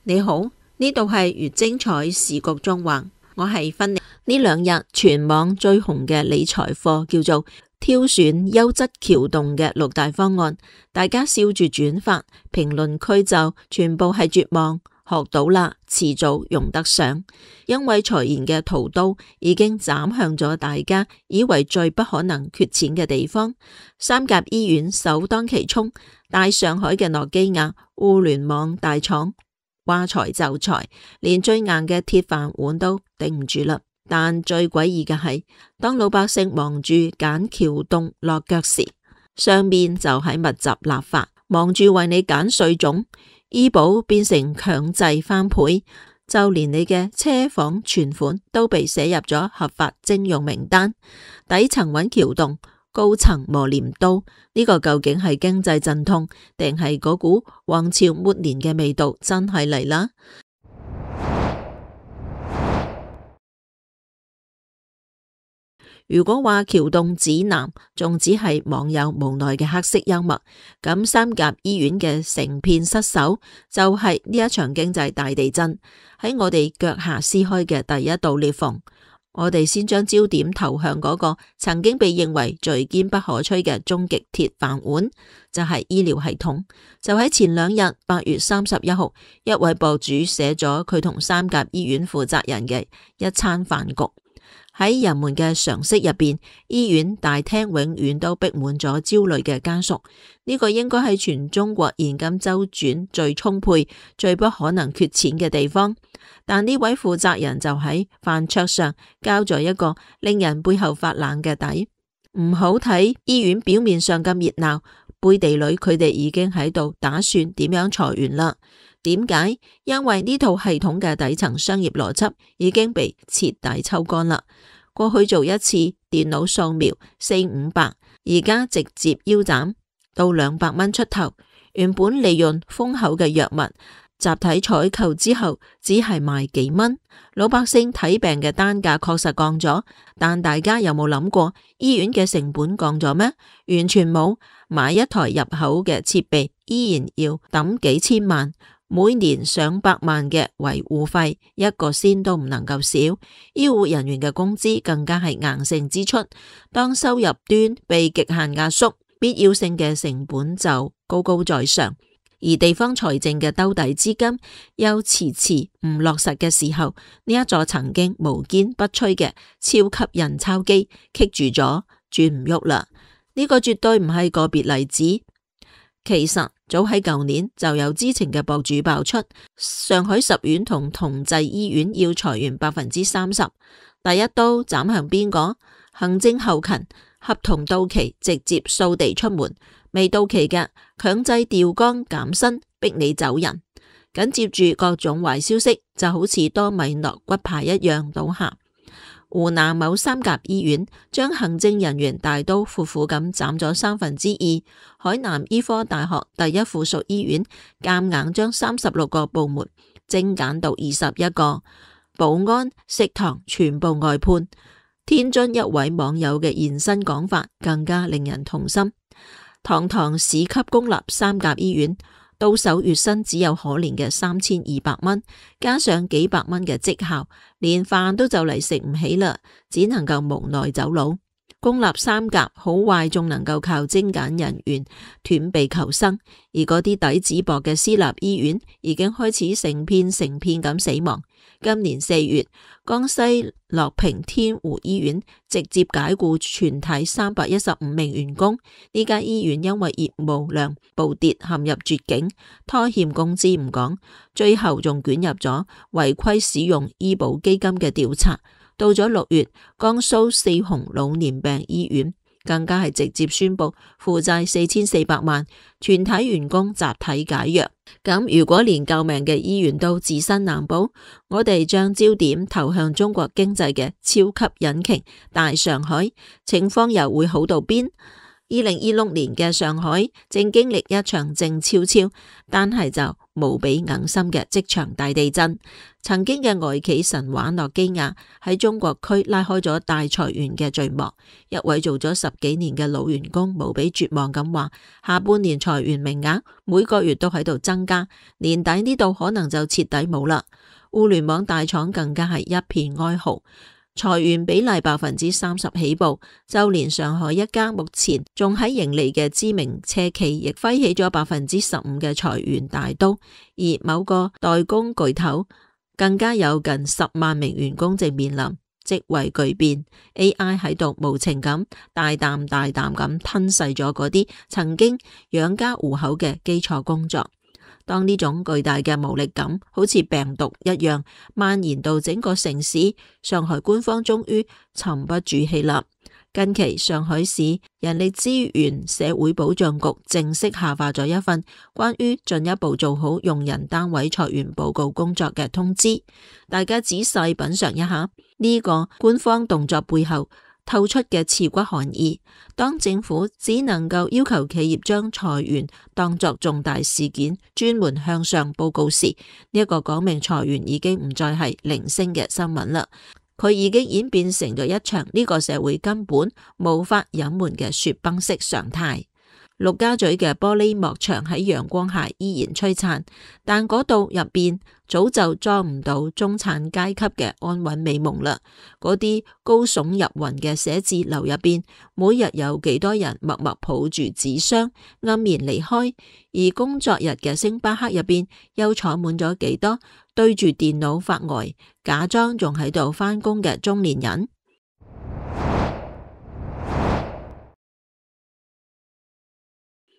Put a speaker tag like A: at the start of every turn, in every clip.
A: 你好，呢度係越精彩時局縱橫，我係芬妮。呢兩日全網最紅嘅理財課叫做挑選優質橋洞嘅6大方案，大家笑住轉發，評論區就全部係絕望，學到啦，遲早用得上。因為財爺嘅屠刀已經斬向咗大家以為最不可能缺錢嘅地方，三甲醫院首當其衝，大上海嘅諾基亞互聯網大廠話裁就裁，連最硬嘅鐵飯碗都頂唔住啦。但最詭異嘅係，當老百姓忙住揀橋洞落腳時，上面就喺密集立法，忙住為你揀稅種，醫保變成強制翻倍，就連你嘅車房存款都被寫入咗合法徵用名單。底層揾橋洞，高層磨鐮刀，呢個究竟係經濟陣痛，定係嗰股皇朝末年嘅味道真係嚟啦？如果話橋洞指南仲只係網友無奈嘅黑色幽默，咁三甲醫院嘅成片失守就係呢一場經濟大地震喺我哋腳下撕開嘅第一道裂縫。我哋先將焦點投向嗰個曾經被認為最堅不可摧嘅終極鐵飯碗，就係醫療系統。就喺前2日8月31號，一位博主寫咗佢同三甲醫院負責人嘅一餐飯局。喺人們嘅常識入邊，醫院大廳永遠都逼滿咗焦慮嘅家屬。呢個應該係全中國現金周轉最充沛、最不可能缺錢嘅地方。但呢位負責人就喺飯桌上交咗一個令人背後發冷嘅底。唔好睇醫院表面上咁熱鬧，背地裏佢哋已經喺度打算點樣裁員啦。點解？因為呢套系統嘅底層商業邏輯已經被徹底抽乾啦。過去做一次電腦掃描400-500，而家直接腰斬到200蚊出頭。原本利潤豐厚嘅藥物，集體採購之後只係賣幾蚊，老百姓睇病嘅單價確實降咗，但大家有冇諗過醫院嘅成本降咗咩？完全冇。買一台入口嘅設備依然要抌幾千萬，每年上百萬嘅維護費，一個仙都唔能夠少。醫護人員嘅工資更加係硬性支出。當收入端被極限壓縮，必要性嘅成本就高高在上，而地方財政嘅兜底資金又遲遲唔落實嘅時候，呢一座曾經無堅不摧嘅超級印鈔機棘住咗，轉唔喐啦。呢個絕對唔係個別例子。其實早喺舊年就有知情嘅博主爆出，上海十院同同濟醫院要裁員30%。第一刀斬向邊個？行政後勤，合同到期直接掃地出門，未到期嘅強制調崗減薪，逼你走人。緊接住各種壞消息就好似多米諾骨牌一樣倒下。湖南某三甲醫院將行政人員大刀闊斧咁斬咗2/3。海南醫科大學第一附屬醫院夾硬將36個部門精簡到21個，保安、食堂全部外判。天津一位網友嘅現身講法更加令人痛心。堂堂市級公立三甲醫院，到手月薪只有可憐嘅3200蚊，加上幾百蚊嘅績效，連飯都就嚟食唔起啦，只能夠無奈走佬。公立三甲好壞仲能夠靠精簡人員斷臂求生，而嗰啲底子薄嘅私立醫院已經開始成片咁死亡。今年4月，江西樂平天湖醫院直接解僱全體315名員工。呢家醫院因為業務量暴跌陷入絕境，拖欠工資唔講，最後仲捲入咗違規使用醫保基金嘅調查。到咗6月，江蘇四雄老年病醫院更加係直接宣布負債4400萬，全體員工集體解約。咁如果連救命嘅醫院都自身難保，我哋將焦點投向中國經濟嘅超級引擎大上海，情況又會好到邊？2026年嘅上海正經歷一場靜悄悄，但係就無比哽心嘅即場大地震。曾經嘅外企神話諾基亞喺中國區拉開咗大裁員嘅序幕。一位做咗10幾年嘅老員工無比絕望咁話：下半年裁員名額每個月都喺度增加，年底呢度可能就徹底冇啦。互聯網大廠更加係一片哀嚎。裁員比例30%起步，就連上海一家目前仲喺盈利嘅知名車企，亦揮起咗15%嘅裁員大刀。而某個代工巨頭更加有近10萬名員工正面臨職位巨變。AI 喺度無情咁大啖咁吞噬咗嗰啲曾經養家糊口嘅基礎工作。當呢種巨大嘅無力感好似病毒一樣蔓延到整個城市，上海官方終於沉不住氣啦。近期上海市人力資源社會保障局正式下發咗一份關於進一步做好用人單位裁員報告工作嘅通知，大家仔細品嘗一下呢個官方動作背後透出嘅刺骨寒意。當政府只能夠要求企業將裁員當作重大事件專門向上報告時，呢一個講明裁員已經唔再係零星嘅新聞啦，佢已經演變成咗一場呢個社會根本無法隱瞞嘅雪崩式常態。陸家嘴嘅玻璃幕牆喺陽光下依然璀璨，但嗰度入邊早就裝唔到中產階級嘅安穩美夢啦。嗰啲高聳入雲嘅寫字樓入邊，每日有幾多人默默抱住紙箱黯然離開？而工作日嘅星巴克入邊，又坐滿咗幾多對住電腦發呆，假裝仲喺度返工嘅中年人？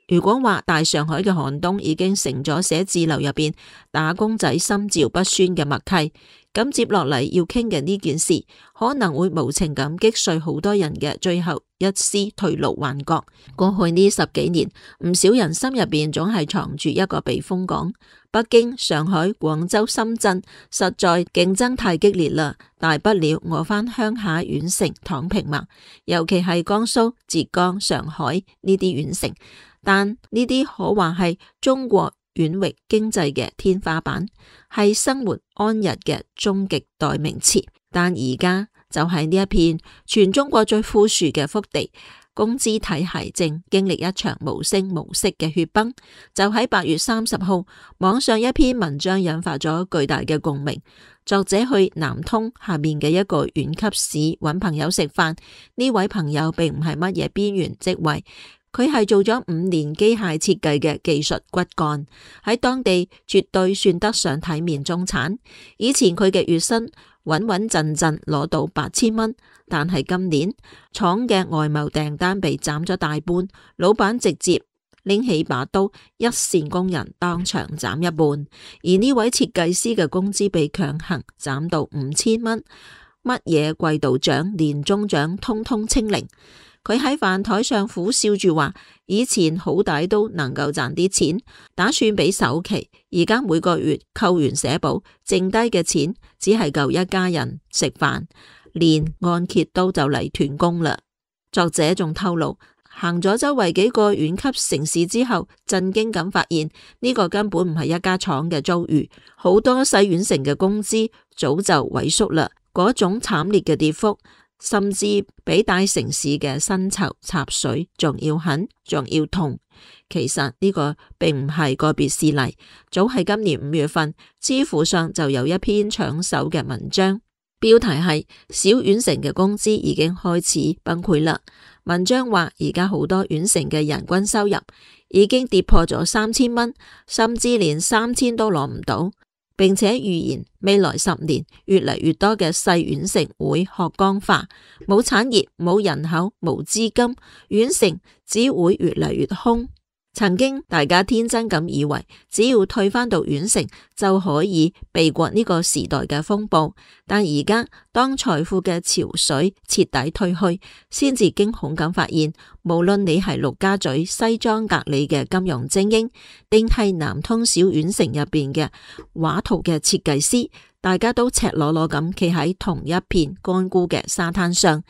A: 如果話大上海嘅寒冬已經成咗寫字樓入邊打工仔心照不宣嘅默契，咁接落嚟要傾嘅呢件事，可能會無情咁擊碎好多人嘅最後一絲退路幻覺。過去呢10幾年，唔少人心入邊總係藏住一個避風港。北京、上海、廣州、深圳實在競爭太激烈啦，大不了我返鄉下縣城躺平嘛。尤其係江蘇、浙江、上海呢啲縣城。但呢啲可話係中國遠域經濟嘅天花板，係生活安逸嘅終極代名詞。但而家就係呢一片全中國最富庶嘅福地，工資體系正經歷一場無聲無息嘅血崩。就喺8月30號，網上一篇文章引發咗巨大嘅共鳴。作者去南通下面嘅一個縣級市揾朋友食飯，呢位朋友並唔係乜嘢邊緣職位。佢係做咗5年機械設計嘅技術骨幹，喺當地絕對算得上體面中產。以前佢嘅月薪穩穩陣陣攞到8000蚊，但係今年廠嘅外貿訂單被斬咗大半，老闆直接拎起把刀，一線工人當場斬一半。而呢位設計師嘅工資被強行斬到5000蚊，乜嘢季度獎、年終獎通通清零。佢喺飯台上苦笑住話：以前好歹都能夠賺啲錢，打算俾首期，而家每個月扣完社保，剩低嘅錢只係夠一家人食飯，連按揭都就嚟斷供啦。作者仲透露，行咗周圍幾個縣級城市之後，震驚咁發現呢個根本唔係一家廠嘅遭遇，好多細縣城嘅工資早就萎縮啦，嗰種慘烈嘅跌幅，甚至比大城市嘅薪酬插水仲要狠，仲要痛。其實呢個並唔係個別事例，早喺今年5月份，知乎上就有一篇搶手嘅文章，標題係小縣城嘅工資已經開始崩潰啦。文章話而家好多縣城嘅人均收入已經跌破咗3000蚊，甚至連3000都攞唔到。並且預言未來10年越嚟越多嘅細縣城會學光化，冇產業、冇人口、冇資金，縣城只會越嚟越空。曾經大家天真咁以為，只要退返到縣城就可以避過呢個時代嘅風暴，但而家當財富嘅潮水徹底退去，先至驚恐咁發現，無論你係陸家嘴西裝革履嘅金融精英，定係南通小縣城入邊嘅畫圖嘅設計師，大家都赤裸裸咁企喺同一片乾枯嘅沙灘上，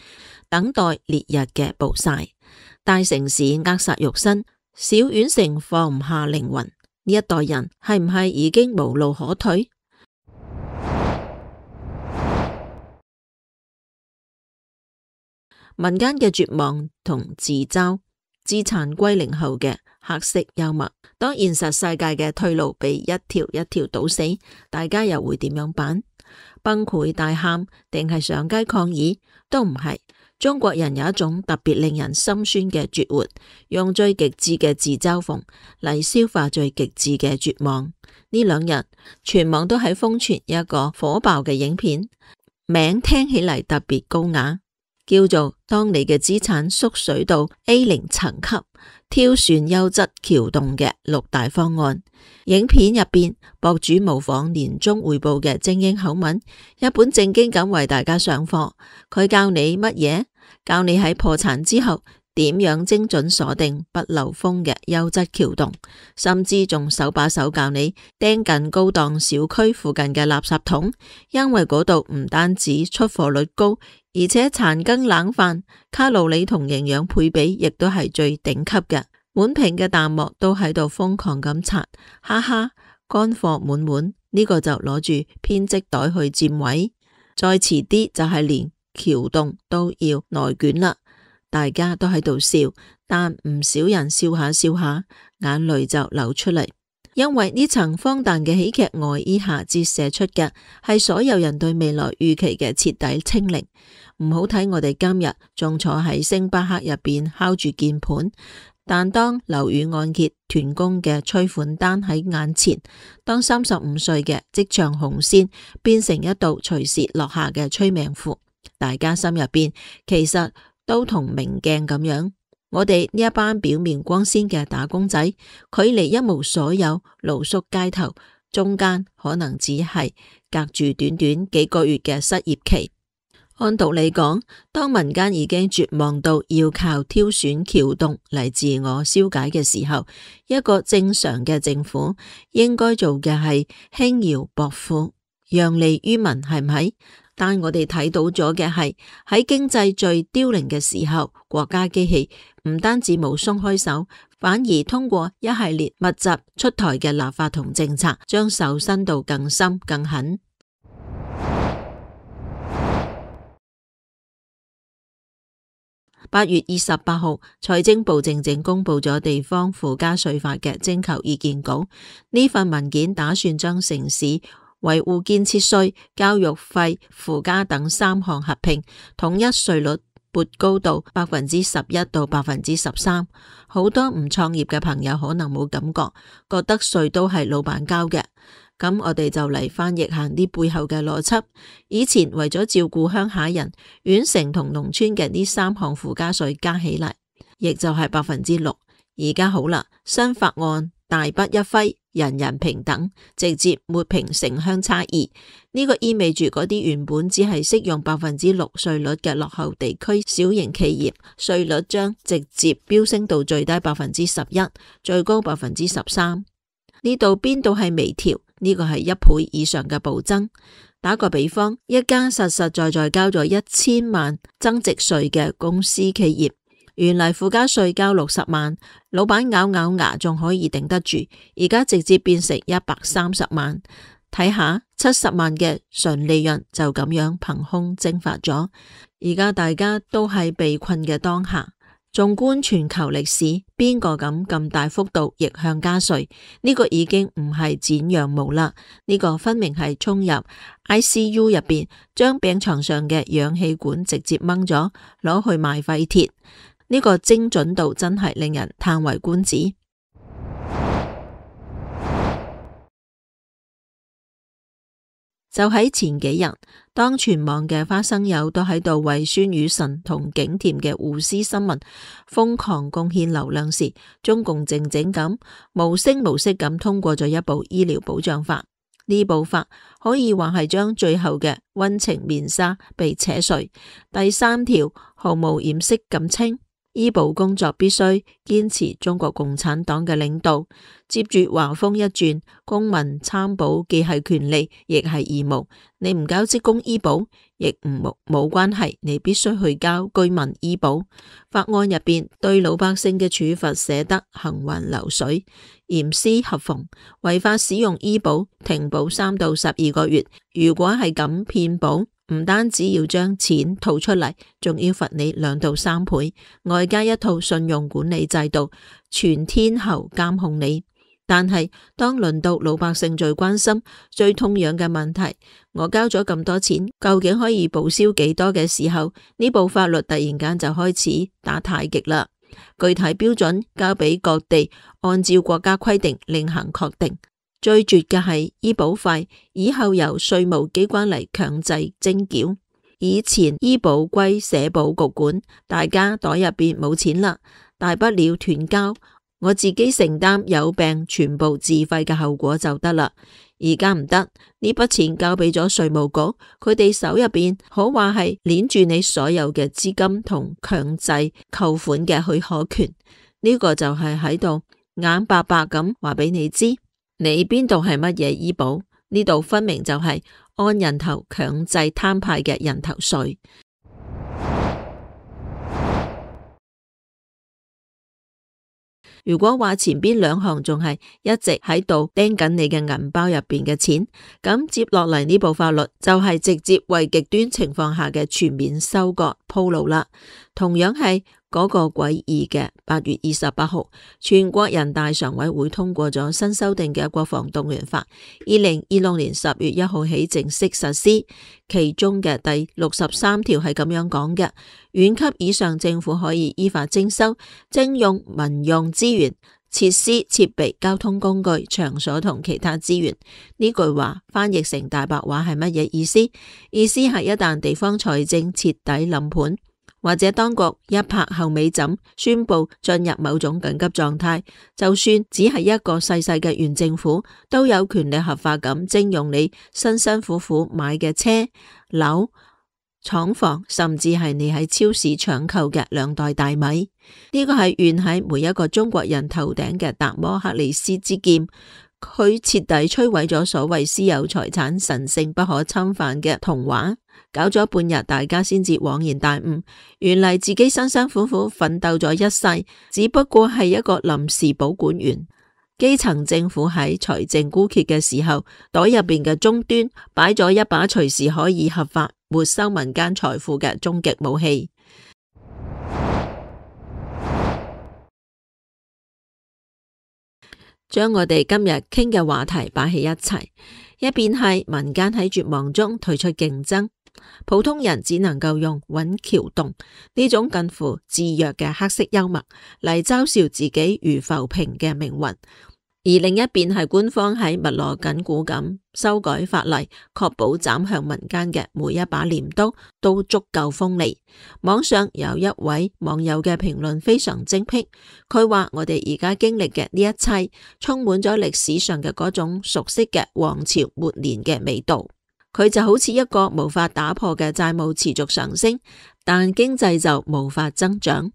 A: 等待烈日嘅暴曬。大城市扼殺肉身，小縣城放唔下靈魂。呢一代人係唔係已經無路可退？民間嘅絕望同自嘲，資產歸零後嘅黑色幽默。當現實世界嘅退路被一條一條堵死，大家又會點樣辦？崩潰大喊定係上街抗議？都唔係。中國人有一種特別令人心酸嘅絕活，用最極致嘅自嘲諷嚟消化最極致嘅絕望。呢兩日全網都喺瘋傳一個火爆嘅影片，名聽起嚟特別高雅，叫做當你嘅資產縮水到 A0 層級，挑選優質橋洞嘅6大方案。影片入邊，博主模仿年終匯報嘅精英口吻，一本正經咁為大家上課。佢教你乜嘢？教你喺破產之後點樣精準鎖定不漏風嘅優質橋洞，甚至仲手把手教你釘近高檔小區附近嘅垃圾桶，因為嗰度唔單止出貨率高，而且殘羹冷飯卡路里同營養配比亦都係最頂級嘅。滿屏嘅彈幕都喺度瘋狂咁刷，哈哈，乾貨滿滿，呢個就攞住編織袋去佔位，再遲啲就係連橋洞都要內捲啦。大家都喺度笑，但唔少人笑下笑下，眼淚就流出嚟，因為呢層荒誕嘅喜劇外衣下折射出嘅係所有人對未來預期嘅徹底清零。唔好睇我哋今日仲坐喺星巴克入邊敲住鍵盤，但當樓宇按揭斷供嘅催款單喺眼前，當35歲嘅職場紅線變成一道隨時落下嘅催命符，大家心入邊其實都同明鏡咁樣。我哋呢一班表面光鮮嘅打工仔，距離一無所有露宿街頭，中間可能只係隔住短短幾個月嘅失業期。按道理講，當民間已經絕望到要靠挑選橋洞嚟自我消解嘅時候，一個正常嘅政府應該做嘅係輕徭薄賦，讓利於民，係唔係？但我哋睇到咗嘅係喺經濟最凋零嘅時候，國家機器唔單止冇鬆開手，反而通過一系列密集出台嘅立法同政策，將手伸到更深更狠。8月28號，財政部正正公布咗地方附加稅法嘅徵求意見稿。呢份文件打算將城市維護建設稅、教育費、附加等3項合併，統一稅率撥高到11%到13%。好多唔創業嘅朋友可能冇感覺，覺得稅都係老闆交嘅。咁我哋就嚟翻譯下呢背後嘅邏輯。以前為咗照顧鄉下人，縣城同農村嘅呢3項附加稅加起嚟，亦就係6%。而家好啦，新法案大筆一揮，人人平等，直接抹平城鄉差異。呢個意味住嗰啲原本只係適用6%稅率嘅落後地區小型企業，稅率將直接飆升到最低11%，最高13%。呢度邊度係微調？呢個係1倍以上嘅暴增。打個比方，一家實實在在交咗1000萬增值稅嘅公司企業，原嚟附加稅交60萬，老闆咬咬牙仲可以頂得住，而家直接變成130萬。睇下70萬嘅純利潤就咁樣憑空蒸發咗。而家大家都係被困嘅當下。縱觀全球歷史，邊個敢咁大幅度逆向加稅？呢個已經唔係剪羊毛啦，呢個分明係衝入 ICU 入邊，將病床上嘅氧氣管直接掹咗，攞去賣廢鐵。呢個精準度真係令人嘆為觀止。就喺前幾日，當全網嘅花生友都喺度為孫宇晨同景甜嘅互撕新聞瘋狂貢獻流量時，中共靜靜咁無聲無息咁通過咗一部醫療保障法。呢部法可以話係將最後嘅溫情面紗被扯碎。第3條毫無掩飾咁稱，醫保工作必須堅持中國共產黨嘅領導。接住話鋒一轉，公民參保既係權利，亦係義務。你唔交職工醫保，亦冇關係，你必須去交居民醫保。法案入邊對老百姓嘅處罰寫得行雲流水，嚴絲合縫。違法使用醫保，停保3到12個月。如果係咁騙保，唔單止要將錢吐出嚟，仲要罰你2到3倍，外加一套信用管理制度，全天候監控你。但係當輪到老百姓最關心、最痛癢嘅問題，我交咗咁多錢，究竟可以報銷幾多嘅時候，呢部法律突然間就開始打太極啦。具體標準交俾各地按照國家規定另行確定。最絕嘅係醫保費以後由稅務機關嚟強制徵繳。以前醫保歸社保局管，大家袋入邊冇錢啦，大不了斷交，我自己承擔有病全部自費嘅後果就得啦。而家唔得，呢筆錢交俾咗稅務局，佢哋手入邊可話係鏈住你所有嘅資金同強制扣款嘅許可權。呢個就係喺度眼白白咁話俾你知。你邊度係乜嘢醫保？呢度分明就係按人頭強制攤派嘅人頭稅。如果話前邊2項仲係一直喺度盯緊你嘅銀包入邊嘅錢，咁接落嚟呢部法律就係直接為極端情況下嘅全面收割鋪路啦。同樣係嗰個詭異嘅8月28號，全國人大常委會通過咗新修訂嘅國防動員法，2026年10月1號起正式實施。其中嘅第63條係咁樣講嘅：縣級以上政府可以依法徵收、徵用民用資源、設施、設備、交通工具、場所同其他資源。呢句話翻譯成大白話係乜嘢意思？意思係一旦地方財政徹底冧盤，或者當局一拍後尾枕，宣布進入某種緊急狀態，就算只係一個細細嘅縣政府，都有權利合法咁徵用你辛辛苦苦買嘅車、樓、廠房，甚至係你喺超市搶購嘅2袋大米。呢個係懸喺每一個中國人頭頂嘅達摩克里斯之劍，佢徹底摧毀咗所謂私有財產神聖不可侵犯嘅童話。搞咗半日，大家先至恍然大悟，原嚟自己辛辛苦苦奮鬥咗一世，只不過係一個臨時保管員。基層政府喺財政枯竭嘅時候，袋入邊嘅終端擺咗一把隨時可以合法沒收民間財富嘅終極武器。將我哋今日傾嘅話題擺喺一齊，一邊係民間喺絕望中退出競爭，普通人只能夠用揾橋洞呢種近乎自虐嘅黑色幽默嚟嘲笑自己如浮萍嘅命運。而另一邊係官方喺密鑼緊鼓咁修改法例，確保斬向民間嘅每一把鐮刀都足夠鋒利。網上有一位網友嘅評論非常精闢，佢話我哋而家經歷嘅呢一切，充滿咗歷史上嘅嗰種熟悉嘅王朝末年嘅味道。佢就好似一個無法打破嘅債務持續上升，但經濟就無法增長。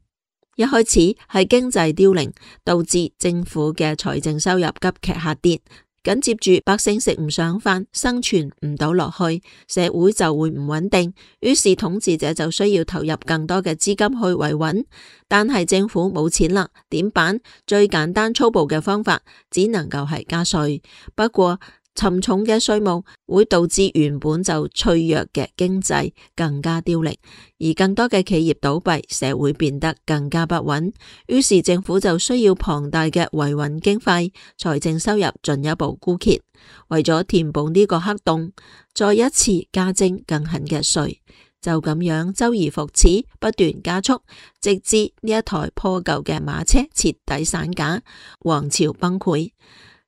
A: 一開始係經濟凋零，導致政府嘅財政收入急劇下跌，緊接住百姓食唔上飯，生存唔到落去，社會就會唔穩定，於是統治者就需要投入更多嘅資金去維穩，但係政府冇錢啦，點辦？最簡單粗暴嘅方法只能夠係加稅，不過沉重嘅稅務會導致原本就脆弱嘅經濟更加凋零，而更多嘅企業倒閉，社會變得更加不穩。於是政府就需要龐大嘅維穩經費，財政收入進一步枯竭。為咗填補呢個黑洞，再一次加徵更狠嘅稅，就咁樣周而復始，不斷加速，直至呢一台破舊嘅馬車徹底散架，王朝崩潰。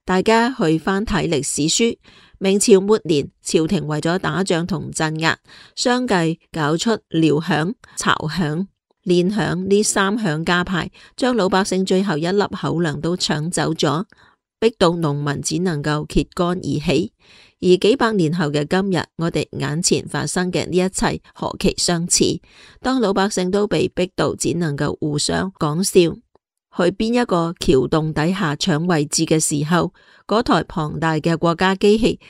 A: 大家去翻睇歷史書，明朝末年，朝廷為咗打仗同鎮壓，相繼搞出遼響、巢響、練響呢3響家派，將老百姓最後一粒口糧都搶走咗，逼到農民只能夠揭竿而起。而幾百年後嘅今日，我哋眼前發生嘅呢一切何其相似。當老百姓都被逼到只能夠互相講笑，去邊一個橋洞底下搶位置嘅時候，嗰台龐大嘅國家機器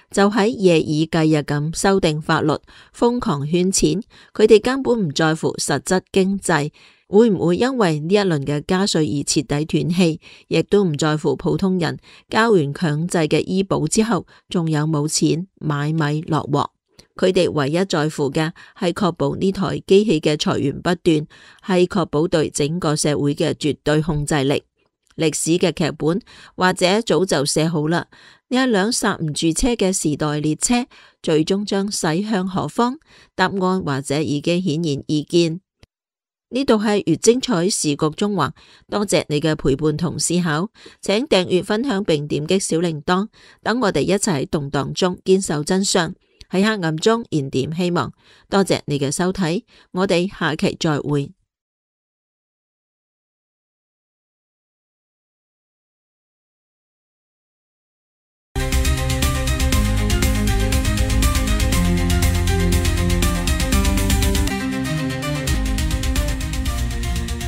A: 就喺夜以繼日咁修訂法律，瘋狂圈錢。佢哋根本唔在乎實質經濟會唔會因為呢一輪嘅加稅而徹底斷氣，亦都唔在乎普通人交完強制嘅醫保之後仲有冇錢買米落鑊。佢哋唯一在乎嘅係確保呢台機器嘅財源不斷，係確保對整個社會嘅絕對控制力。歷史嘅劇本或者早就寫好啦，呢一輛剎唔住車嘅時代列車最終將駛向何方？答案或者已經顯然易見。呢度係越精彩時局中華，多謝你嘅陪伴同思考，請訂閱分享並點擊小鈴鐺，等我哋一齊喺動盪中堅守真相，喺黑暗中燃點希望。多謝你嘅收睇，我哋下期再會。